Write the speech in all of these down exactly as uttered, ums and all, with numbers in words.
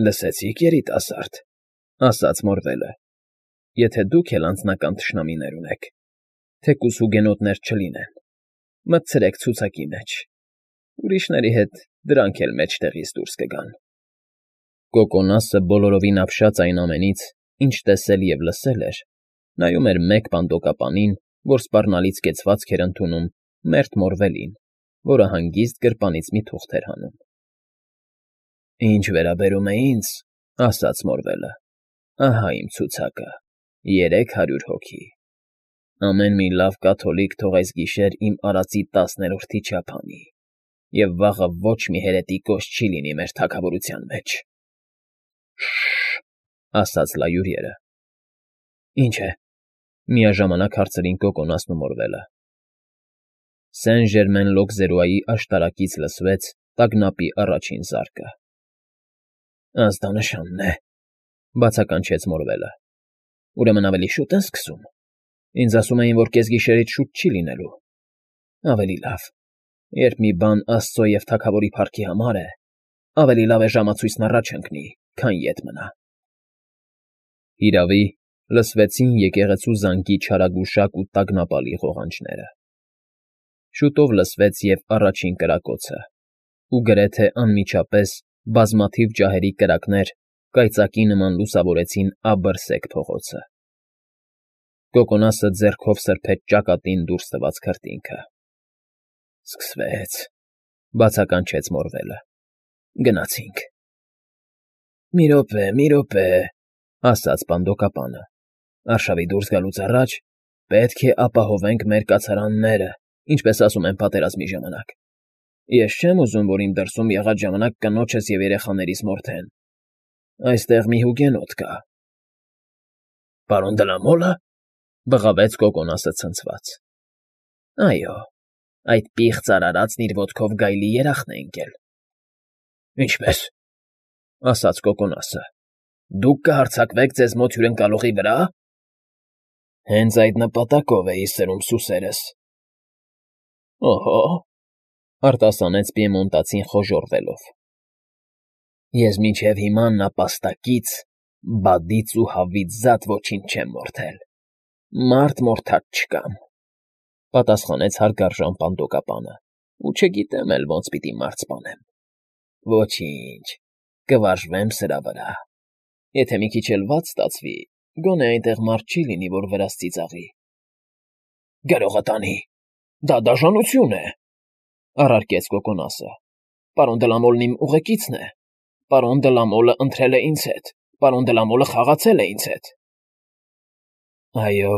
Լսեցի՞ք, երիտասարդ,֊ ասաց Մորվելը,֊ եթե դուք էլ անձնական թշնամիներ ունեք, թեկուզ հուգենոտներ չլինեն, մտցրեք ցուցակի մեջ, ուրիշների հետ դրանք էլ մեջտեղից դուրս կգան։ Կոկոնասը բոլորովին ապշած այն ամենից, ինչ տեսել և լսել էր, նայում էր մեկ պանդոկապանին, որ սպառնալից կեցվածք էր ընդունում մերթ Մորվելին, որը հանգիստ գրպանից մի թուղթ էր հանում։ «Ինչ վերաբերում է ինձ,֊ ասաց Մորվելը,֊ ահա իմ ցուցակը, երեք հարյուր հոգի։ Ամեն մի լավ կաթոլիկ թող այս գիշեր իմ արածի տասներորդի չափ անի, և վաղը ոչ մի հերետիկոս չի լինի մեր թագավորության մեջ»։ Շ֊շ֊շ,֊ ասաց լայուրիերը։ «Ինչ է,֊ միաժամանակ հարցրին Կոկոնասն ու Մորվելը։ Սեն֊Ժերմեն֊Լոկզերուայի աշտարակից լսվեց տագնապի առաջին զարկը։ «Ազդանշանն է,֊ բացականչեց Մորվելը։֊ Ուրեմն ավելի շուտ են սկսում։ Ինձ ասում էին, որ կեսգիշերից շուտ չի լինելու։ Ավելի լավ, երբ մի բան աստծո և թագավորի փառքի համար է, ավելի լավ է ժամացույցն առաջ ընկնի, քան ետ մնա»։ Հիրավի, լսվեցին եկեղեցու զանգի չարագուշակ ու տագնապալի ղողանջները։ Շուտով լսվեց և առաջին կրակոցը, ու գրեթե անմիջապես բազմաթիվ ջահերի կրակներ կայծակի նման լուսավորեցին աբռսեկ փողոցը։ Կոկոնասը ձեռքով սրբեց ճակատին դուրս տված քրտինքը։ «Սկսվեց,֊ բացականչեց Մորվելը։֊ Գնացինք»։ «Մի րոպե, մի րոպե,֊ ասաց պանդոկապանը,֊ արշավի դուրս գալուց առաջ պետք է ապահովենք մեր կացարանները, ինչպես ասում են պատերազմի ժամանակ։ Ես չեմ ուզում, որ իմ դրսում եղած ժամանակ կնոջս և երեխաներիս մորթեն։ Այստեղ մի հուգենոտ կա»։ «Պարոն Դլամո՞լը,֊ բղավեց Կոկոնասը ցնցված։ «Այո, այդ պիղծ արարածն իր ոտքով գայլի երախն է ընկել»։ «Ինչպե՞ս,֊ ասաց Կոկոնասը,֊ դուք կհարձակվեք ձեզ մոտ հյուրընկալողի վրա»։ «Հենց այդ նպատակով էի սրում սուսերս»։ «Օհո՜,֊ արտասանեց պիեմոնտացին խոժոռվելով,֊ ես մինչև հիմա նապաստակից, բադից ու հավից զատ ոչինչ չեմ մորթել, մարդ մորթած չկամ,֊ պատասխանեց հարգարժան պանդոկապանը,֊ ու չգիտեմ էլ ոնց պիտի մարդ սպանեմ։ Ոչինչ, կվարժվեմ սրա վրա։ Եթե մի քիչ էլ վատ ստացվի, գոնե այնտեղ մարդ չի լինի, որ վրաս ծիծաղի»։ «Գրողը տանի, դա դաժանություն է,֊ առարկեց Կոկոնասը։ «Պարոն Դլամոլն իմ ուղեկիցն է։ Պարոն Դլամոլը ընտրել է ինձ հետ, պարոն Դլամոլը խաղացել է ինձ հետ»։ «Այո,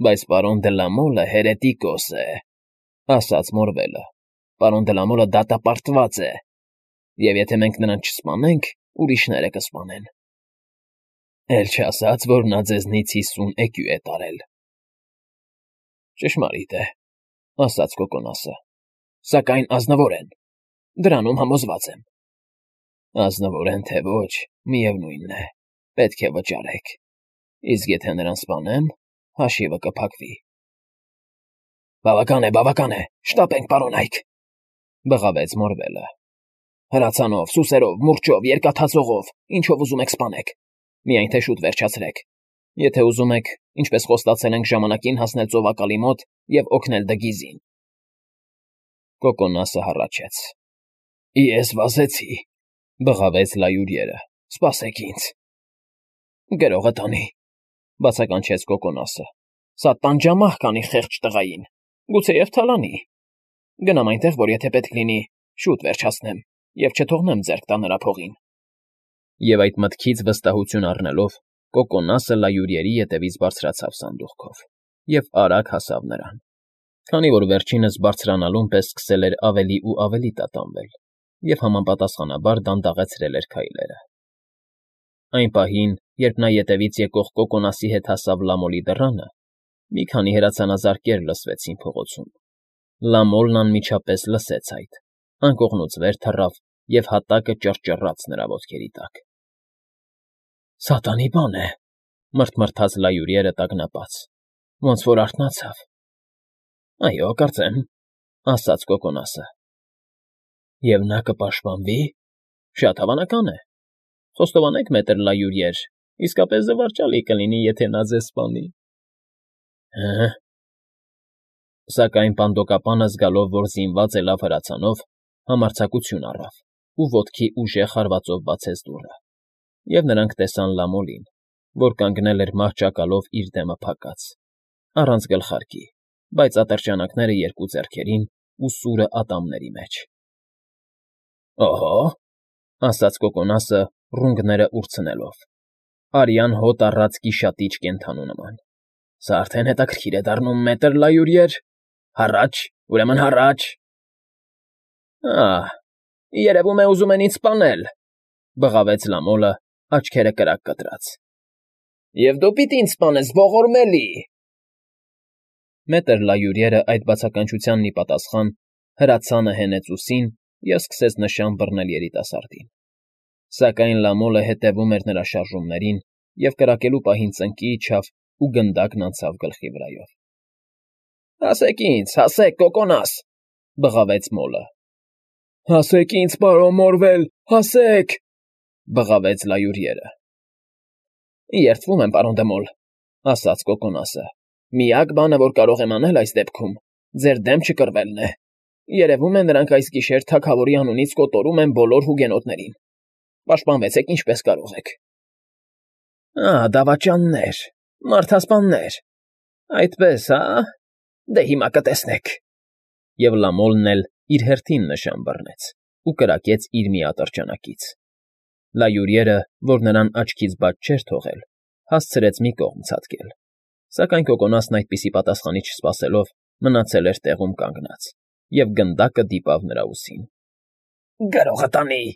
բայց պարոն Դլամոլը հերետիկոս է,֊ ասաց Մորվելը,֊ պարոն Դլամոլը դատապարտված է, և եթե մենք նրան չսպանենք, ուրիշները կսպանեն»։ «Էլ չասաց, որ նա ձեզնից հիսուն էկյու է տարել»։ «Ճշմարիտ է,֊ ասաց Կոկոնասը,֊ սակայն ազնվորեն, դրանում համոզված եմ»։ «Ազնվոր են, թե ոչ, միևնույն է, պետք է վճարեք, իսկ եթե նրան սպանեմ, հաշիվը կփակվի»։ «Բավական է, բավական է, շտապենք, պարոն Այք,֊ բղավեց Մորվելը։ «Հրացանով, սուսերով, մուրճով, երկաթածողով, ինչով ուզում եք սպանեք, միայն թե շուտ վերջացրեք։ Եթե ուզում եք, ինչպես խոստացել ենք, ժամանակին հասնել ծովակալի մոտ և օգնել Դգիզին»։ Կոկոնասը հառաչեց։ «Ես վազեցի,֊ բղավեց լայուրիերը,֊ սպասեք ինձ»։ «Գրողը տանի,֊ բացականչեց Կոկոնասը,֊ սա տանջամահ կանի խեղճ տղային, գուցեև թալանի։ Գնամ այնտեղ, որ եթե պետք լինի, շուտ վերջացնեմ և չթողնեմ ձեռք տա նրա փողին»։ Եվ այդ մտքից վստահություն առնելով, Կոկոնասը լայուրիերի ետևից բարձրացավ սանդուղքով և արագ հասավ նրան, քանի որ վերջինս բարձրանալուն պես սկսել էր ավելի ու ավելի տատանվել և համապատասխանաբար դանդաղեցրել էր քայլերը։ Այն պահին, երբ նա ետևից եկող Կոկոնասի հետ հասավ Լամոլի դռանը, մի քանի հրացանազարկեր լսվեցին փողոցում։ Լամոլն անմիջապես լսեց այդ, անկողնուց վեր թռավ և հատակը ճռճռաց նրա ոտքերի տակ։ «Սատանի բան է,֊ մռթմռթաց լայուրիերը տագնապած,֊ ոնց որ արթնացավ»։ «Այո, կարծեմ,֊ ասաց Կոկոնասը։ «Եվ նա կպաշտպանվի՞։ Շատ հավանական է։ Խոստովանեք, մետր Լայուրիեր, իսկապես զվարճալի կլինի, եթե նա ձեզ սպանի։ Հը։ Սակայն պանդոկապանը, զգալով, որ զինված է լավ հրացանով, համարձակություն առավ ու ոտքի ուժեղ հարվածով բացեց դուռը, և նրանք տեսան Լամոլին, որ կանգնել էր մահճակալով իր դեմը փակած, առանց գլխարկի, բայց ատրճանակները երկու ձեռքերին ու սուրը ատամների մեջ։ ֊ Օհո,֊ ասաց Կոկոնասը, ռունգները ուրցնելով, արյան հոտ առած գիշատիչ կենդանու նման։֊ Սա արդեն հետաքրքիր է դառնում, մետր Լայուրիեր… Հառաչ, ուրեմն հառաչ… Ահ, երևում է, ուզում են ինձ սպանել,֊ բղավեց Լամոլը, աչքերը կրակ կտրած։ ֊ Եվ դու պիտի ինձ սպանես, ողորմելի… Մետր Լայուրիերը այդ բացականչությանն ի պատասխան հրացանը հենեց ուսին և սկսեց նշան բռնել երիտասարդին, սակայն Լամոլը հետևում էր նրա շարժումներին և կրակելու պահին ծնկի իջավ ու գնդակն անցավ գլխի վրայով։ ֊ Հասեք ինձ, հասեք, Կոկոնաս,֊ բղավեց մոլը։ ֊ Հասեք ինձ, պարոն Մորվել, հասեք,֊ բղավեց Լայուրիերը։ ֊ Երդվում եմ, պարոն դե Մոլ,֊ ասաց Կոկոնասը։ Միակ բանը, որ կարող եմ անել այս դեպքում, ձեր դեմ չկռվելն է։ Երևում է, նրանք այս գիշեր թագավորի անունից կոտորում են բոլոր հուգենոտներին։ Պաշտպանվեցեք ինչպես կարող եք։ ֊ Ահ, դավաճաններ, մարդասպաններ… Այդպես, հա՞… Դե հիմա կտեսնեք… Եվ Լամոլն էլ իր հերթին նշան բռնեց ու կրակեց իր մի ատրճանակից։ Լայուրիերը, որ նրան աչքից բաց չէր թողել, հասցրեց մի կողմ ցատկել, սակայն Կոկոնասն այդպիսի պատասխանի չսպասելով, մնացել էր տեղում կանգնած և գնդակը դիպավ նրա ուսին։ ֊ Գրողը տանի,֊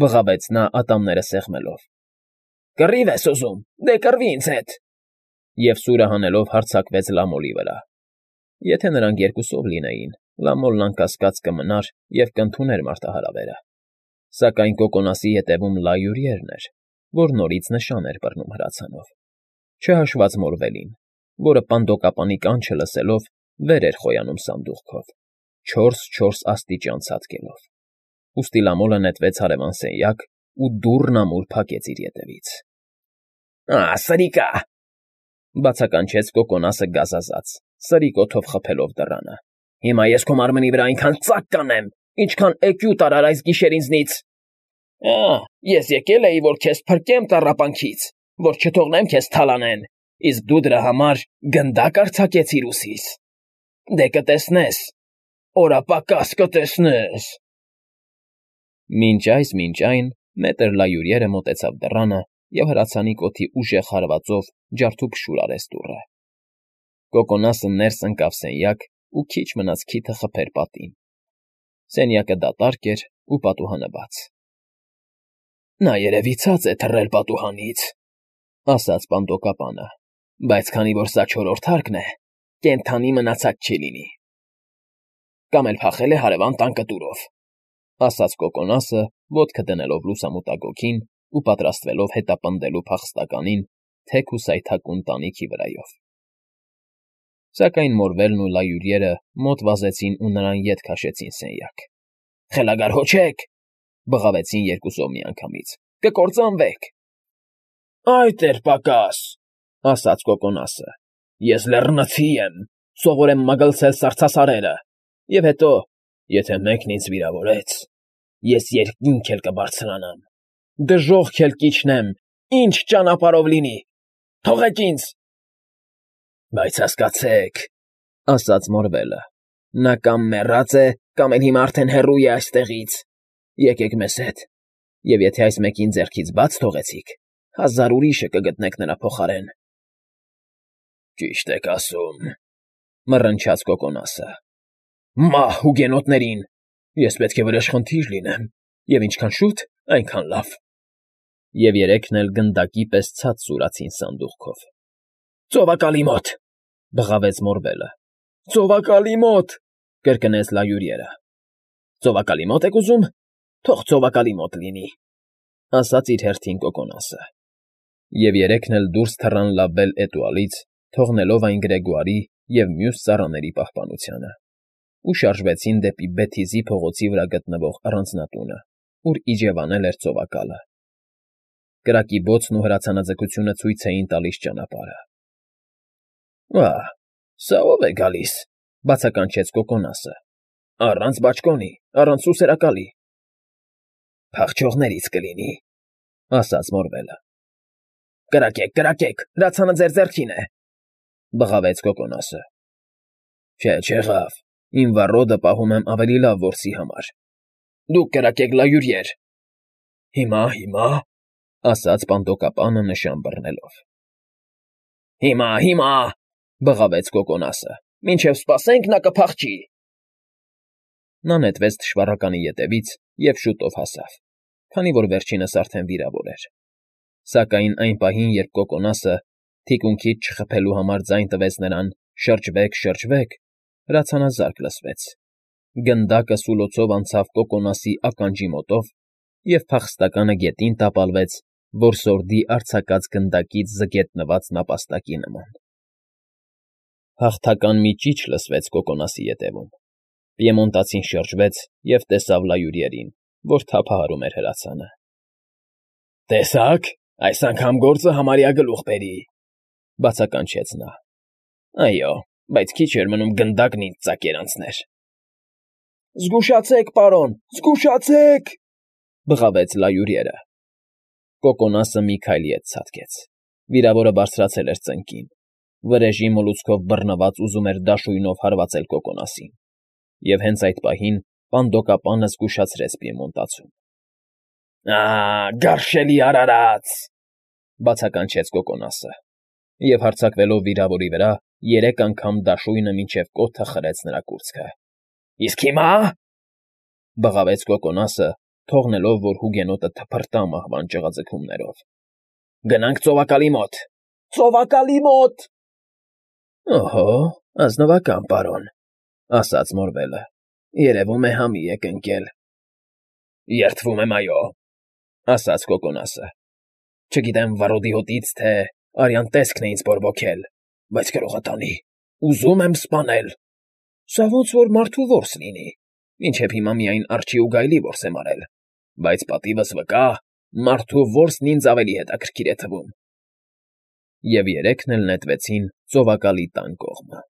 բղավեց նա ատամները սեղմելով։ ֊ Կռիվ ես ուզում, դե կռվի ինձ հետ… Եվ սուրը հանելով հարձակվեց Լամոլի վրա։ Եթե նրանք երկուսով լինեին, Լամոլն անկասկած կմնար և կընդուներ մարտահրավերը, սակայն Կոկոնասի ետևում Լայուրիերն էր, որ նորից նշան էր բռնում հրացանով, չհաշված Մորվելին, որը պանդոկապանի կանչը լսելով վեր էր խոյանում սանդուղքով, չորս֊չորս աստիճան ցատկելով։ Ուստի Լամոլը նետվեց հարևան սենյակ ու դուռն ամուր փակեց իր ետևից։ ֊ Ահ, սրիկա,֊ բացականչեց Կոկոնասը գազազած, սրի կոթով խփելով դռանը։֊ Հիմա ես քո մարմնի վրա այնքան ծակ կանեմ, ինչքան էկյուտ արար այս գիշեր ինձնից… Ահ, ես եկել էի, որ քեզ փրկեմ տառապանքից, որ չթողնեմ քեզ թալանեն, իսկ դու դրա համար գնդակ արձակեցիր ուսիս… Դե կտեսնես, օրապակաս կտեսնես… Մինչ այս, մինչ այն, մետր Լայուրիերը մոտեցավ դռանը և հրացանի կոթի ուժեղ հարվածով ջարդուփշուր արեց դուռը։ Կոկոնասը ներս ընկավ սենյակ ու քիչ մնաց քիթը խփեր պատին։ Սենյակը դատարկ էր ու պատուհանը բաց։ ֊ Նա երևի ցած է թռել պատուհանից,֊ ասաց պանդոկապանը,֊ բայց քանի որ սա չորրորդ հարկն է, կենդանի մնացած չի լինի։ ֊ Կամ էլ փախել է հարևան տան կտուրով,֊ ասաց Կոկոնասը, ոտքը դնելով լուսամուտագոգին ու պատրաստվելով հետապնդելու փախստականին թեք ու սայթաքուն տանիքի վրայով։ Սակայն Մորվելն ու Լայուրիերը մոտ վազեցին ու նրան ետ քաշեցին սենյակ։ ֊ Խելագար հո չեք,֊ բղավեցին երկուսով միանգամից,֊ կկործանվեք… ֊ Այ տեր֊պակաս,֊ ասաց Կոկոնասը,֊ ես լեռնցի եմ, սովոր եմ մագլցել սառցասարերը, և հետո, եթե մեկն ինձ վիրավորեց, ես երկինք էլ կբարձրանամ, դժոխք էլ կիջնեմ, ինչ ճանապարհով լինի… Թողեք ինձ… ֊ Բայց հասկացեք,֊ ասաց Մորվելը,֊ նա կամ մեռած է, կամ էլ հիմա արդեն հեռու է այստեղից… Եկեք մեզ հետ, և եթե այս մեկին ձեռքից բաց թողեցիք, հազար ուրիշը կգտնեք նրա փոխարեն։ ֊ Ճիշտ եք ասում,֊ մռնչաց Կոկոնասը։ ֊ Մահ հուգենոտներին… Ես պետք է վրեժխնդիր լինեմ, և ինչքան շուտ, այնքան լավ… Եվ երեքն էլ գնդակի պես ցած սուրացին սանդուղքով։ ֊ Ծովակալի մոտ,֊ բղավեց Մորվելը։ ֊ Ծովակալի մոտ,֊ կրկնեց Լայուրիերը։ ֊ Ծովակալի մոտ եք ուզում, թող ծովակալի մոտ լինի,֊ ասաց իր հերթին Կոկոնասը։ Եվ երեքն էլ դուրս թռան լաբել էտուալից, թողնելով այն Գրեգոարի և մյուս ծառաների պահպանությանը, ու շարժվեցին դեպի Բեթիզի փողոցի վրա գտնվող առանձնատունը, ուր իջևանել էր ծովակալը։ կրակի բոցն ու հրացանաձգությունը ցույց էին տալիս ճանապարհը։ ֊ Ա՜, սա ո՞վ է գալիս,֊ բացականչեց Կոկոնասը։֊ Առանց բաճկոնի, առանց սուսերակալի։ ֊ Փախչողներից կլինի,֊ ասաց Մորվելը։ ֊ Կրակեք, կրակեք, հրացանը ձեր ձեռքին է,֊ բղավեց Կոկոնասը։ ֊ Չէ, չեղավ, իմ վառոդը պահում եմ ավելի լավ որսի համար։ Դուք կրակեք, լայուրիեր։ ֊ Հիմա, հիմա,֊ ասաց պանդոկապանը նշան բռնելով։ ֊ Հիմա, հիմա,֊ բղավեց Կոկոնասը,֊ մինչև սպասենք, նա կփախչի։ Նա նետվեց թշվառականի ետևից և շուտով հասավ, քանի որ վերջինս արդեն վիրավոր էր։ Սակայն այն պահին, երբ Կոկոնասը, թիկունքից չխփելու համար ձայն տվեց նրան «շրջվեք, շրջվեք», հրացանազարկ լսվեց, գնդակը սուլոցով անցավ Կոկոնասի ականջի մոտով և փախստականը գետին տապալվեց որսորդի արձակած գնդակից զգետնված նապաստակի նման։ Հաղթական մի ճիչ լսվեց Կոկոնասի ետևում։ Պիեմոնտացին շրջվեց և տեսավ լայուրիերին, որ թափահարում էր հրացանը։ ֊ Տեսա՞ք, այս անգամ գործը համարյա գլուխ բերի,֊ բացականչեց նա։ ֊ Այո, բայց քիչ էր մնում գնդակն ինձ ծակեր անցներ։ ֊ Զգուշացե՛ք, պարոն, զգուշացե՛ք,֊ բղավեց լայուրիերը։ Կոկոնասը մի քայլ ետ ցատկեց։ Վիրավորը բարձրացել էր ծնկին, վրեժի մոլուցքով բռնված ուզում էր դաշույնով հարվածել Կոկոնասին, և հենց այդ պահին պանդոկապանը զգուշացրեց պիեմոնտացուն։ ֊ Ա՜, գարշելի արարած,֊ բացականչեց Կոկոնասը, և հարձակվելով վիրավորի վրա, երեք անգամ դաշույնը մինչև կոթը խրեց նրա կուրծքը։ ֊ Իսկ հիմա,֊ բղավեց Կոկոնասը, թողնելով, որ հուգենոտը թփրտա մահվան ճղաձգումներով,֊ գնանք ծովակալի մոտ, ծովակալի մոտ… ֊ Օհո, ազնվական, պարոն,֊ ասաց Մորվելը,֊ երևում է համի եք ընկել։ ֊ Երդվում եմ, այո,֊ ասաց Կոկոնասը։ ֊ Չգիտեմ վառոդի հոտից, թե արյան տեսքն է ինձ բորբոքել, բայց գրողը տանի, ուզում եմ սպանել։ Սա ոնց որ մարդու որս լինի, մինչև հիմա միայն արջի ու գայլի որս եմ արել, բայց պատիվս վկա, մարդու որսն ինձ ավելի հետաքրքիր է թվում։ Եվ երեքն էլ նետվեցին ծովակալի տան կողմը։